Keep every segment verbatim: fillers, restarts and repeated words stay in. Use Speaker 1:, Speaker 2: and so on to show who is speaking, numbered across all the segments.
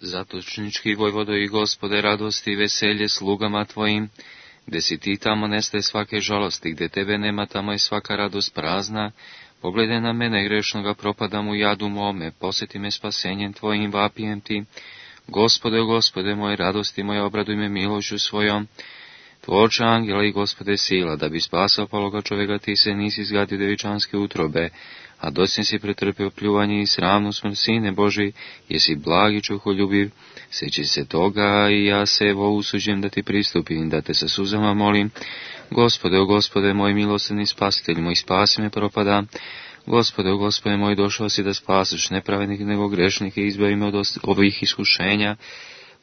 Speaker 1: Zatočnički vojvodo i Gospode, radosti i veselje slugama Tvojim, gde si Ti, tamo nestaje svake žalosti, gde Tebe nema, tamo je svaka radost prazna. Pogledaj na mene grešnoga, propadam u jadu mome, posjeti me spasenjem Tvojim, vapijem Ti. Gospode, o Gospode moj, radosti moje, obraduj me milošću svojom. Tvorče angela i Gospode sila, da bi spasao paloga čovjeka, Ti se nisi zgadio devičanske utrobe, a dosljedno si pretrpio pljuvanje i sramnu smrt, Sine Boži, jesi blag i čuholjubiv, sjeći se toga i ja se evo usuđujem da Ti pristupim, da Te sa suzama molim. Gospode, o Gospode moj, milosrdni spasitelj moj, spasi me, propadam. Gospode, o Gospode moj, došao si da spasiš nepravednike nego grešnike, izbavi me od ovih iskušenja.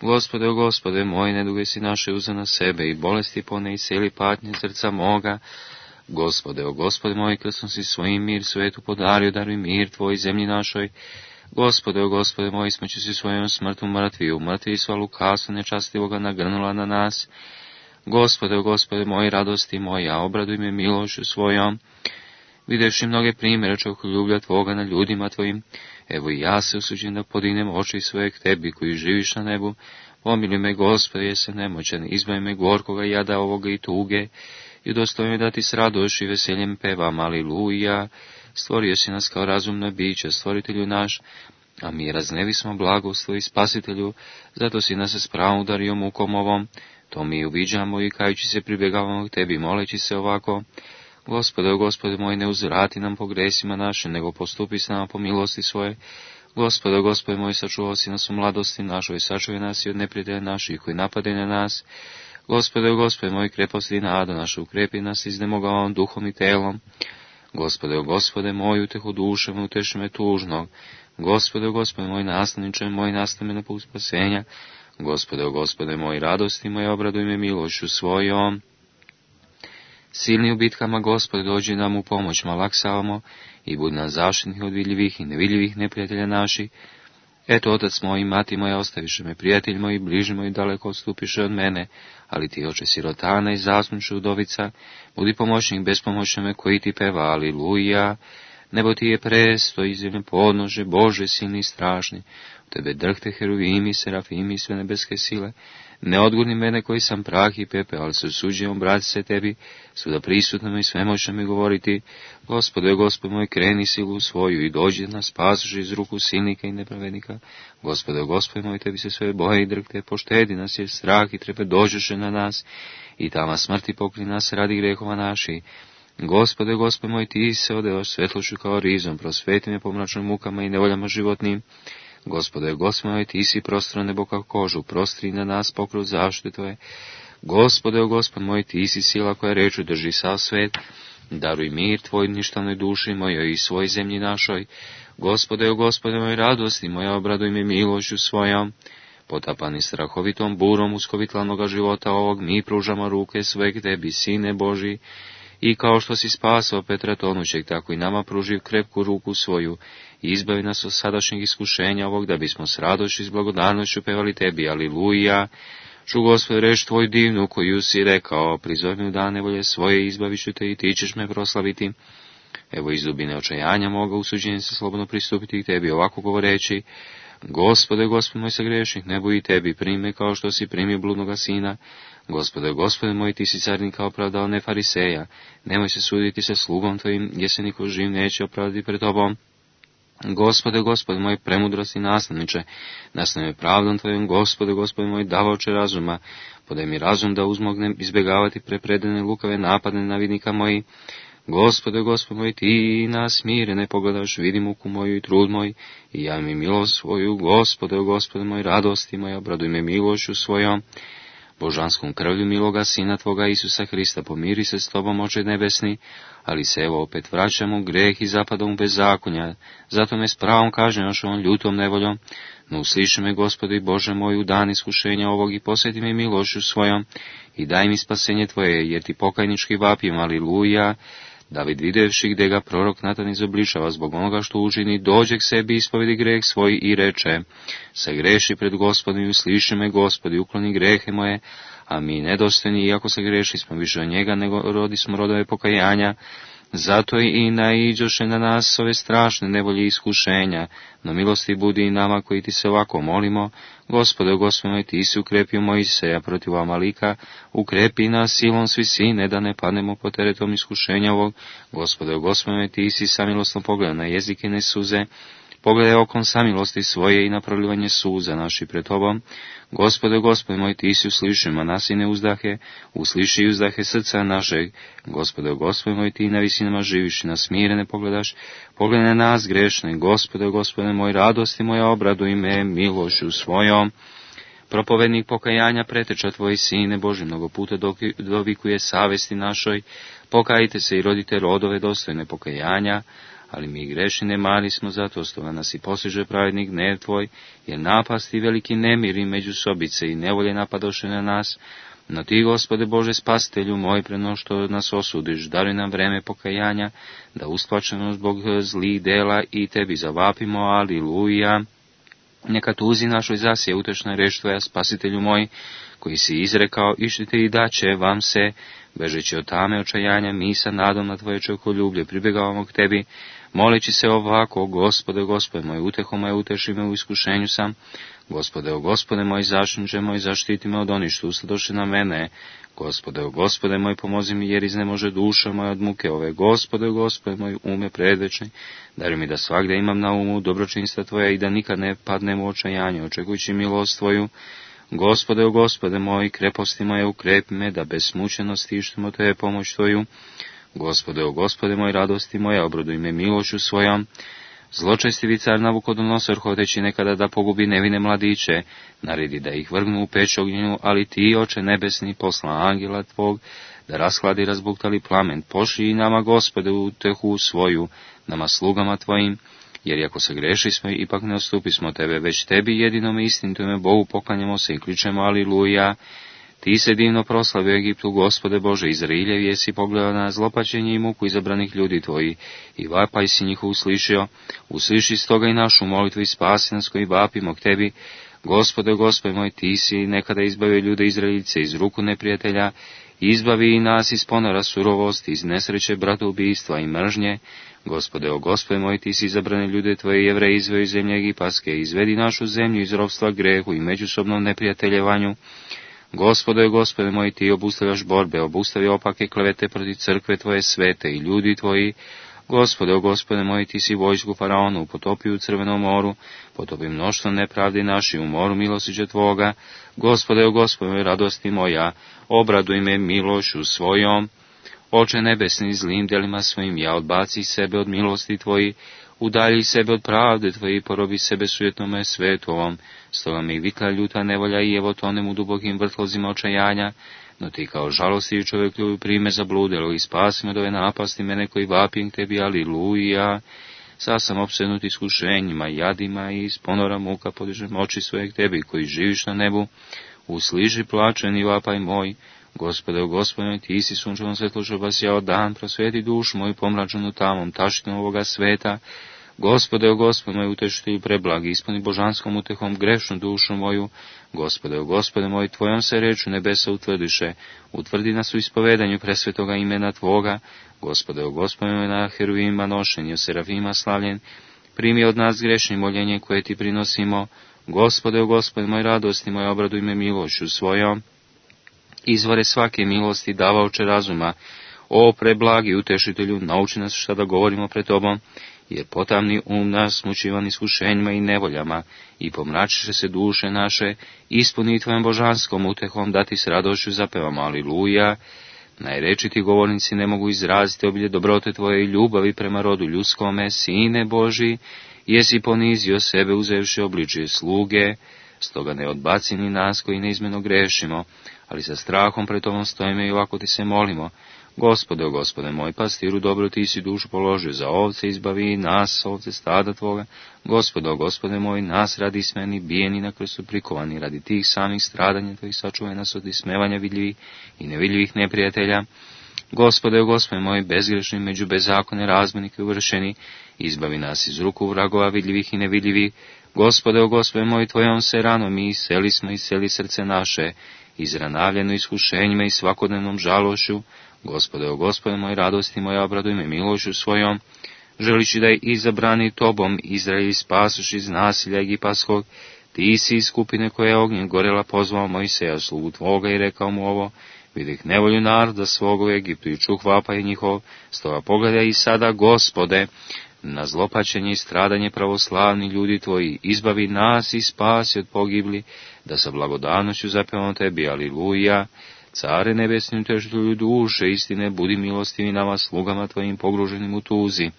Speaker 1: Gospode, o Gospode moj, neduge si naše uze na sebe i bolesti pone i cijeli patnje srca moga. Gospode, o Gospode moj, krstom si svojim mir svetu podario, daruj mir Tvoj zemlji našoj. Gospode, o Gospode moj, smeću si svojom smrtu mrtvi, mrtvi sva lukasu nečastivoga nagrnula na nas. Gospode, o Gospode moj, radosti moja, obraduj me milošću svojom. Videvši mnoge primjere čovjekoljublja Tvoga na ljudima Tvojim, evo i ja se usuđujem da podignem oči svoje k Tebi koji živiš na nebu. Pomiluj me, Gospode, jesam nemoćan, izbavi me gorkoga jada ovoga i tuge, i udostojim me da Ti s radošću i veseljem pevam, aleluja. Stvorio si nas kao razumno biće, stvoritelju naš, a mi raznevi smo blagoslov i spasitelju, zato si nas s pravom udario mukom ovom. To mi uviđamo i kajući se pribjegavamo k Tebi, moleći se ovako. Gospode, o Gospode moj, ne uzvrati nam po gresima naše, nego postupi s nama po milosti svoje. Gospode, o Gospode moj, sačuvao si nas u mladosti našoj, sačuvaj nas i od neprijatelja naših koji napade na nas. Gospode, o Gospode moj, kreposti i nada naša, ukrepi nas iznemogavom duhom i telom. Gospode, o Gospode moj, utehu dušom, uteši me tužnog. Gospode, o Gospode moj, nastavniče moj, nastavi me na put spasenja. Gospode, o Gospode moj, radosti moje, obraduj me milošću svojom. Silni u bitkama, Gospode, dođi nam u pomoć, malaksavamo i budi nas zaštitnih od vidljivih i nevidljivih neprijatelja naših. Eto, otac moj i mati moja, ostaviše me, prijatelj moj, bliži moj, daleko odstupiše od mene, ali Ti, oče sirotana i zasnuše udovica, budi pomoćnik bespomoćnome koji Ti peva, aleluja. Nebo Ti je presto i zemlje podnože, Bože silni i strašni, u Tebe drhte heruvimi, serafimi i sve nebeske sile. Ne odgurni mene koji sam prah i pepe, ali se usuđujem obrati se Tebi, svuda prisutno i svemoćno mi govoriti. Gospode, Gospod moj, kreni silu svoju i dođi da nas spasiš iz ruku silnika i nepravednika. Gospode, Gospod moj, Tebi se sve boje i drhte, poštedi nas jer strah i trepe dođeše na nas i tama smrti pokri nas radi grehova naši. Gospode, Gospod moj, Ti se odevaš svetlošću kao rizom, prosveti me po mračnim mukama i nevoljama životnim. Gospode, Gospod moj, Ti si prostro nebo kao kožu, prostri na nas pokrov zaštite Tvoje. Gospode, o Gospod moj, Ti si sila koja reču drži sav svet, daruj mir Tvoj ništavnoj duši mojoj i svoj zemlji našoj. Gospode, o Gospode moj, radosti moja, obraduj me milošću svojom. Potapani strahovitom burom uskovitlanoga života ovog, mi pružamo ruke svoje k Tebi, Sine Boži, i kao što si spasao Petra tonućeg, tako i nama pruživ krepku ruku svoju i izbavi nas od sadašnjeg iskušenja ovog, da bismo s radošću i s blagodarnošću pevali Tebi, aleluja. Ču, Gospod, reč Tvoj divnu, koju si rekao, prizove me u dane nevolje svoje, izbavit ću Te i Ti ćeš me proslaviti. Evo iz dubine očajanja moga usuđenjem se slobodno pristupiti k Tebi, ovako govoreći, Gospode, Gospod moj, sagrešnik, ne boji Tebi, prime kao što si primio bludnoga sina. Gospode, Gospode moj, Ti si carnika opravdao, ne fariseja, nemoj se suditi sa slugom Tvojim, gdje se niko živ neće opravdati pred Tobom. Gospode, Gospode moj, premudrosti nastavniče, nastavi me pravdom Tvojom, Gospode, Gospode moj, davaoče razuma, podaj mi razum da uzmognem izbjegavati prepredene lukave napadne navidnika moji. Gospode, Gospod moj, Ti nas mirene pogledaš, vidi muku moju i trud moj, i javi mi milost svoju. Gospode, o Gospode moj, radosti moja, obraduj me milošću svojom. Božanskom krvlju miloga Sina Tvoga Isusa Hrista, pomiri se s Tobom, oče nebesni, ali se evo opet vraćam u greh i zapadom u bezakonja, zato me s pravom kažnjavaš ovom ljutom nevoljom. No usliši me, Gospode i Bože moj, u dan iskušenja ovog i posjeti me milošću svojom i daj mi spasenje Tvoje, jer Ti pokajnički vapim, aleluja. David, videvši gdje ga prorok Natan izobličava zbog onoga što učini, dođe k sebi, ispovedi greh svoj i reče, sagreši pred Gospodom i usliši me, Gospodi, ukloni grehe moje, a mi nedostojni, iako sagreši smo više od njega, nego rodi smo rodove pokajanja. Zato i naiđoše na nas ove strašne nevolje i iskušenja, no milosti budi i nama koji ti se ovako molimo. Gospode, Gospode moj, ti si ukrepio Mojseja protiv Amalika, ukrepi nas silom svi sine, da ne padnemo pod teretom iskušenja ovog. Gospode, Gospode moj, ti si samilosno pogledao na jezike ne suze, pogledaj okom samilosti svoje i na prolivanje suza naši pred tobom. Gospode, Gospode moj, ti si usliši manasine uzdahe, usliši uzdahe srca našeg. Gospode, Gospode moj, ti na visinama živiš i na smirene pogledaš, pogledaj na nas grešne. Gospode, Gospode moj, radosti moja, obraduj me milošću svojom. Propovednik pokajanja preteča tvoji sine Boži, mnogo puta dovikuje savesti našoj, pokajite se i rodite rodove dostojne pokajanja, ali mi grešni ne mali smo, zato stoga nas i postiže pravednik gnev tvoj, jer napasti veliki nemiri međusobice i nevolje napadoše na nas. No ti, Gospode Bože, spasitelju moj, preno što nas osudiš, daruj nam vreme pokajanja, da usplačeno zbog zlih dela i tebi zavapimo, aliluja. Neka tuzi našoj zasije utešna reč tvoja, spasitelju moj, koji si izrekao, išćite i daće vam se, bežeći od tame očajanja, mi sa nadom na tvoje čovjekoljublje pribjegavamo k tebi, moleći se ovako, Gospode, Gospode moj, uteho moje, uteši me u iskušenju sam. Gospode, o Gospode moj, zaštitniče moj, zaštiti me od onih što ustadoše na mene. Gospode, o Gospode moj, pomozi mi, jer iznemože duša moja od muke ove. Gospode, o Gospode moj, ume predvečni, daruj mi da svagde imam na umu dobročinstva tvoja i da nikad ne padnem u očajanje, očekujući milost tvoju. Gospode, o Gospode moj, kreposti moje, ukrepi me, da bez smučenosti ištemo tebe pomoć tvoju. Gospode, o Gospode moj, radosti moja, obraduj me milošću svojom. Zločestivi car Navukodonosor, hoteći nekada da pogubi nevine mladiće, naredi da ih vrgnu u peć ognjenu, ali ti, Oče nebesni, posla angela tvog, da rashladi razbuktali plamen, pošli i nama, Gospode, utehu svoju, nama slugama tvojim, jer ako se greši smo, ipak ne odstupi smo tebe, već tebi jedinom istinitome Bogu poklanjamo se i kličemo aliluja. Ti se divno proslavio Egiptu, Gospode Bože, Izraeljev jesi pogledao na zlopačenje i muku izabranih ljudi tvoji, i vapaj si njih uslišio, usliši stoga i našu molitvu i spasi nas koji vapimo k tebi. Gospode, Gospode moj, ti si nekada izbavio ljude Izraeljice iz ruku neprijatelja, izbavi i nas iz ponora surovosti, iz nesreće bratoubistva i mržnje. Gospode, o Gospode moj, ti si izabrane ljude tvoje Jevreje izveo iz zemlje Egipatske, izvedi našu zemlju iz ropstva grehu i međusobnom neprijateljevanju. Gospode, Gospode moj, ti obustavljaš borbe, obustavi opake klevete protiv crkve tvoje svete i ljudi tvoji. Gospode, o Gospode moj, ti si vojsku faraonu potopio u crvenom moru, potopi mnoštvo nepravdi naši u moru milosrđa tvoga. Gospode, o Gospode moj, radosti moja, obraduj me milošću svojom. Oče nebesni, zlim delima svojim, ja odbaci sebe od milosti tvoji, udalji sebe od pravde tvoje i porobi sebe sujetnome svetu ovom. Stoga mi vitla ljuta nevolja i evo tonem u dubokim vrtlozima očajanja, no ti kao žalosti čovjekljuju prime zabludelo i spasi me od ove napasti mene koji vapim k tebi, aliluja. Sad sam opsednut iskušenjima, jadima i iz ponora muka podižem oči svoje k tebi koji živiš na nebu. Usliži plačen i vapaj moj. Gospode, o Gospode, ti si sunčevom svetlošću obasjao dan, prosvjeti dušu moju pomračenu tamom, taštinom ovoga sveta. Gospode, o Gospode moj, utešitelju preblagi, ispuni božanskom utehom grešnu dušu moju. Gospode, o Gospode moj, tvojom se reču nebesa utvrdiše, utvrdi nas u ispovedanju presvetoga imena tvoga. Gospode, o Gospode moj, na heruvima nošen i o serafima slavljen, primi od nas grešni moljenje koje ti prinosimo. Gospode, o Gospode moj, radosti moj, obraduj me milošću svojom. Izvore svake milosti, davaoče razuma, o preblagi utešitelju, nauči nas šta da govorimo pred tobom, jer potamni um nas mučivan iskušenjima i nevoljama, i pomračiše se duše naše, ispuni tvojom božanskom utehom, da ti s radošću zapevamo, aliluja. Najrečiti govornici ne mogu izraziti obilje dobrote tvoje i ljubavi prema rodu ljudskome, Sine Boži, jesi ponizio sebe uzevši obličje sluge, stoga ne odbaci ni nas koji neizmjerno grešimo, ali sa strahom pred tobom stojimo i ovako ti se molimo. Gospode, o Gospode moj, pastiru dobro, ti si dušu položio za ovce, izbavi nas, ovce stada tvoga. Gospode, o Gospode moj, nas radi smeni, bijeni na krstu prikovani, radi tih samih stradanja tvojih sačuvaj nas od ismevanja vidljivih i nevidljivih neprijatelja. Gospode, o Gospode moj, bezgrešni među bezakone razmenike uvršeni, izbavi nas iz ruku vragova vidljivih i nevidljivih. Gospode, o Gospode moj, tvojom se ranom mi iseli smo, iseli srce naše, izranavljeno iskušenjima i svakodnevnom žalošću. Gospode, o Gospode moj, radosti moja, obraduj me milošću svojom, želići da je izabrani tobom Izrael spasuš iz nasilja egipatskog, ti si iz skupine koja je ognjem gorela pozvao Mojseja, slugu tvoga, i rekao mu ovo: vidih nevolju naroda svoga u Egiptu i čuh vapaj njihov, stoga pogledaj i sada, Gospode, na zlopačenje i stradanje pravoslavni ljudi tvoji, izbavi nas i spasi od pogibli, da sa blagodanošću zapevamo tebi, aliluja. Care nebesni, utešitelju duše istine, budi milostivi nama, slugama tvojim pogruženim u tuzi.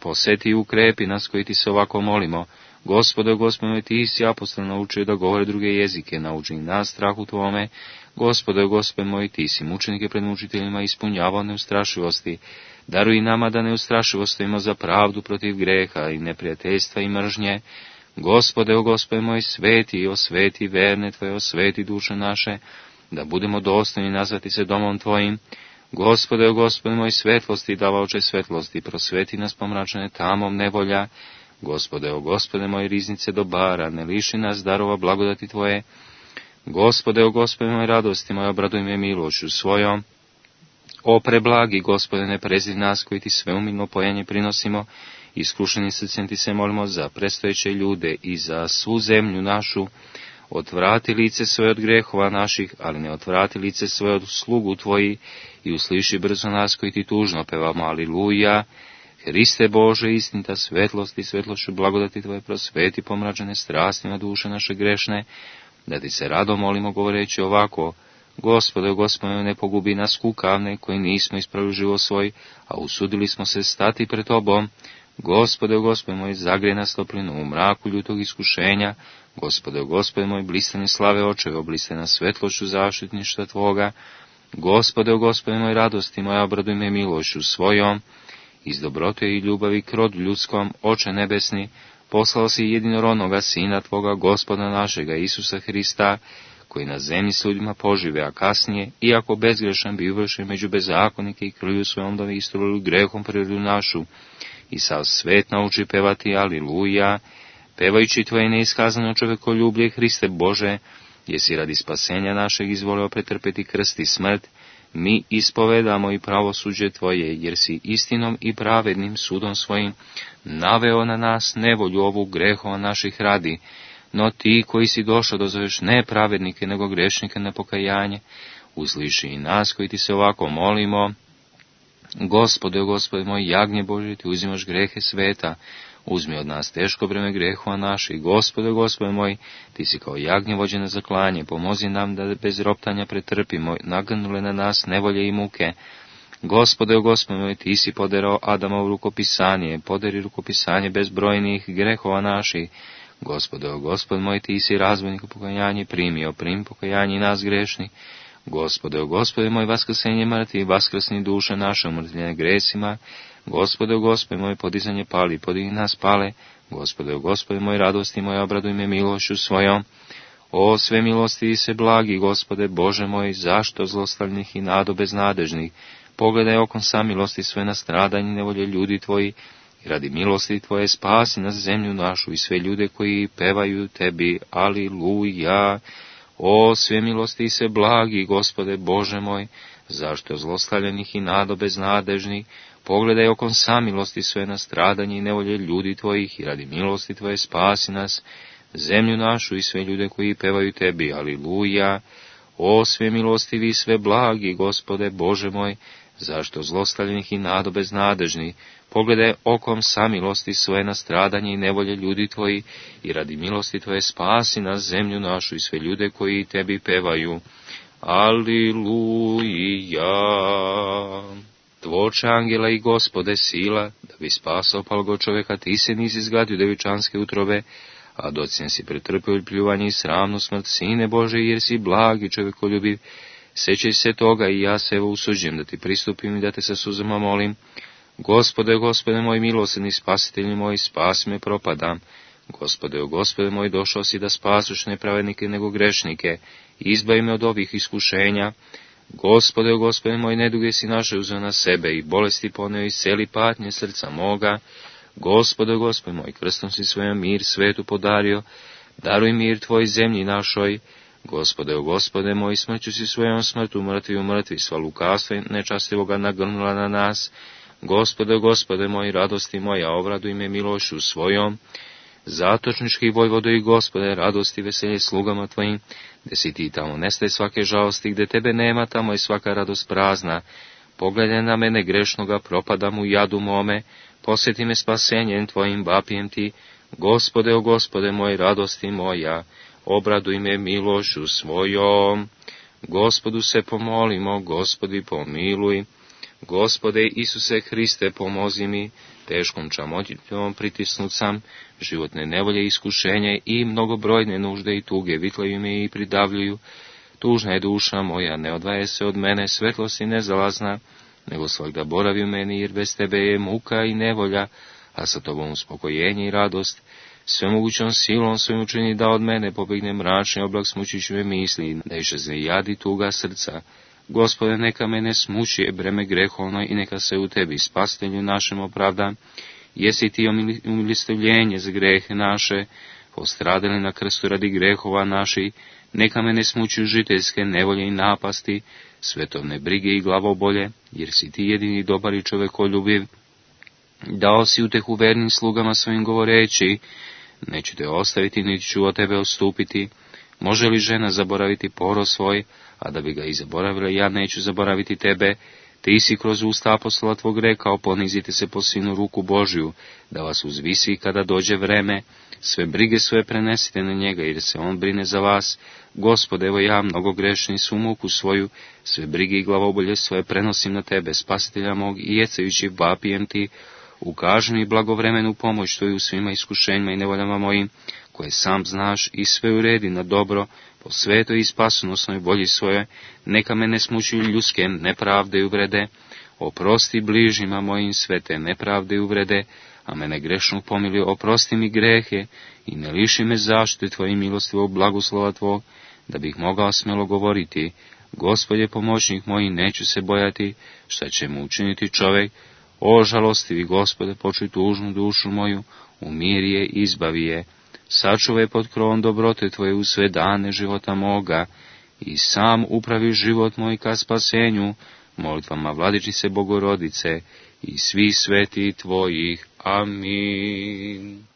Speaker 1: Poseti i ukrepi nas koji ti se ovako molimo. Gospode, Gospode, ti si apostol naučio da govore druge jezike, nauči nas strahu tvome. Gospode, Gospode moj, ti si mučenike pred mučiteljima ispunjavao neustrašivosti. Daruj nama da neustrašivost stojimo za pravdu protiv greha i neprijateljstva i mržnje. Gospode, o Gospode moj, sveti i osveti verne tvoje, osveti duše naše, da budemo dostojni nazvati se domom tvojim. Gospode, o Gospode moj, svetlosti davaoče svetlosti, prosveti nas pomračene tamom nevolja. Gospode, o Gospode moj, riznice dobara, ne liši nas darova blagodati tvoje. Gospode, o Gospode moj, radosti moja, obraduj me milošću svojom. O preblagi, Gospode, ne prezri nas koji ti sveumilno pojenje prinosimo, iskušeni srcem ti se molimo za predstojeće ljude i za svu zemlju našu. Otvrati lice svoje od grehova naših, ali ne otvrati lice svoje od slugu tvoji, i usliši brzo nas koji ti tužno pevamo, aliluja. Hriste Bože, istinita svetlost i svetlošću blagodati tvoje, prosveti pomračene strastima duše naše grešne, da ti se rado molimo govoreći ovako: Gospode, Gospode, ne pogubi nas kukavne, koji nismo ispravili život svoj, a usudili smo se stati pred tobom. Gospode, Gospode moj, zagrej nas toplinu u mraku ljutog iskušenja. Gospode, Gospode moj, blistane slave očeve, obliste nas svetlošću zaštitništva tvoga. Gospode, Gospode moj, radosti moja, obraduj me milošću svojom. Iz dobrote i ljubavi k rodu ljudskom, Oče nebesni, poslao si jedinorodnoga Sina tvoga, Gospoda našega Isusa Hrista, koji na zemlji s ljudima požive, a kasnije, iako bezgrešan, bi uvršen među bezakonike i krvlju svojom da istrulili grehom prirodu našu, i sav svet nauči pevati aliluja. Pevajući tvoje neiskazano čovekoljublje, Hriste Bože, jesi radi spasenja našeg izvoleo pretrpeti krst i smrt, mi ispovedamo i pravosuđe tvoje, jer si istinom i pravednim sudom svojim naveo na nas nevolju ovu grehova naših radi. No ti koji si došao da zoveš ne pravednike, nego grešnike na pokajanje, usliši i nas koji ti se ovako molimo. Gospode, o Gospode moj, jagnje Bože, ti uzimaš grehe sveta, uzmi od nas teško breme grehova naših. Gospode, o Gospode moj, ti si kao jagnje vođene za klanje, pomozi nam da bez roptanja pretrpimo nagnule na nas nevolje i muke. Gospode, o Gospode moj, ti si poderao Adamovo rukopisanje, poderi rukopisanje bezbrojnih grehova naših. Gospode, o Gospod moj, ti si razvojnik pokajanje primio, prim pokajanje nas grešnih. Gospode, o Gospode moj, vaskrsenje mrtvi, vaskrsni duše naše umrtvljene gresima. Gospode, o Gospode moj, podizanje pali, podigni nas pale. Gospode, o Gospode moj, radosti moja, obraduj me milošću svojom. O sve milosti i se blagi, Gospode Bože moj, zašto zlostavljenih i nado beznadežnih? Pogledaj okom samilosti sve na stradanje nevolje ljudi tvoji, i radi milosti tvoje spasi nas zemlju našu i sve ljude koji pevaju tebi, aliluja. O sve milosti i se blagi, Gospode Bože moj, zašto zlostavljenih i nado beznadežnih? Pogledaj okom samilosti sve na stradanje i nevolje ljudi tvojih, i radi milosti tvoje spasi nas zemlju našu i sve ljude koji pevaju tebi, aliluja. O sve milostivi i sve blagi, Gospode Bože moj, zašto zlostavljenih i nado beznadežnih? Pogledaj okom samilosti svoje na stradanje i nevolje ljudi tvoji, i radi milosti tvoje spasi nas zemlju našu i sve ljude koji tebi pevaju. Aliluja. Tvoče angela i Gospode sila, da bi spasao palgo čoveka, ti se nisi zgadio devičanske utrobe, a docnjen si pretrpio pljuvanje i sramnu smrt, Sine Bože, jer si blag i čovekoljubiv. Sećaj se toga i ja se evo usuđujem da ti pristupim i da te sa suzama molim. Gospode, Gospode moj, milosrdni spasitelji moj, spasi me, propadam. Gospode, o Gospode moj, došao si da spasuš ne pravednike nego grešnike, izbavi me od ovih iskušenja. Gospode, o Gospode moj, neduge si naše uzeo na sebe i bolesti poneo i celi patnje srca moga. Gospode, o Gospode moj, krstom si svojom mir svetu podario, daruj mir tvoj zemlji našoj. Gospode, o Gospode moj, smrću si svojom smrtu mrtvi u mrtvi, sva lukavstva nečastivoga nagrnula na nas. Gospode, o Gospode moj, radosti moja, obraduj me milošću svojom. Zatočnički vojvodo i Gospode, radosti i veselje slugama tvojim, gde si ti tamo nestaje svake žalosti, gde tebe nema, tamo je svaka radost prazna. Pogledaj na mene grešnoga, propadam u jadu mome, posjeti me spasenjem tvojim, vapijem ti. Gospode, o Gospode moj, radosti moja, obraduj me milošću svojom. Gospodu se pomolimo, Gospodi pomiluj. Gospode Isuse Hriste, pomozi mi, teškom čamoćom pritisnut sam, životne nevolje, iskušenje i mnogobrojne nužde i tuge vitlaju me i pridavljuju. Tužna je duša moja, ne odvaje se od mene, svetlost i nezalazna, nego svakda boravi u meni, jer bez tebe je muka i nevolja, a sa tobom uspokojenje i radost. Svemogućom silom svojim učini da od mene pobegne mračni oblak smučićve misli, da išezne jad i tuga srca. Gospode, neka mene smuči breme grehovno i neka se u tebi, spasitelju našem, opravda. Jesi ti umilostivljenje za grehe naše, postradali na krstu radi grehova naših, neka mene smuči žiteljske nevolje i napasti, svetovne brige i glavobolje, jer si ti jedini dobar i čovekoljubiv. Dao si utehu vernim slugama svojim govoreći, neću te ostaviti, niti ću od tebe odstupiti. Može li žena zaboraviti poro svoj, a da bi ga i zaboravila, ja neću zaboraviti tebe? Ti si kroz usta apostola tvog rekao, ponizite se po sinu ruku Božju, da vas uzvisi kada dođe vreme. Sve brige svoje prenesite na njega, jer se on brine za vas. Gospode, evo ja, mnogo grešni su muku svoju, sve brige i glavobolje svoje prenosim na tebe, spasitelja mog, i jecajući vapijem ti. Ukaži mi blagovremenu pomoć tvoju u svima iskušenjima i nevoljama mojim, koje sam znaš, i sve uredi na dobro, po svetoj i spasonosnoj volji svoje. Neka me ne smučuju ljudske nepravde i uvrede, oprosti bližnjima mojim sve te nepravde i uvrede, a mene grešnog pomili, oprosti mi grehe i ne liši me zaštite tvojim milostivog blagoslova tvog, da bih mogao smjelo govoriti, Gospodje pomoćnik moj, neću se bojati, šta će mu učiniti čovjek. O žalostivi Gospode, počuj tužnu dušu moju, umiri je, izbavi je, sačuvaj pod krovom dobrote tvoje u sve dane života moga i sam upravi život moj ka spasenju, molitvama Vladičice Bogorodice i svih sveti tvojih. Amin.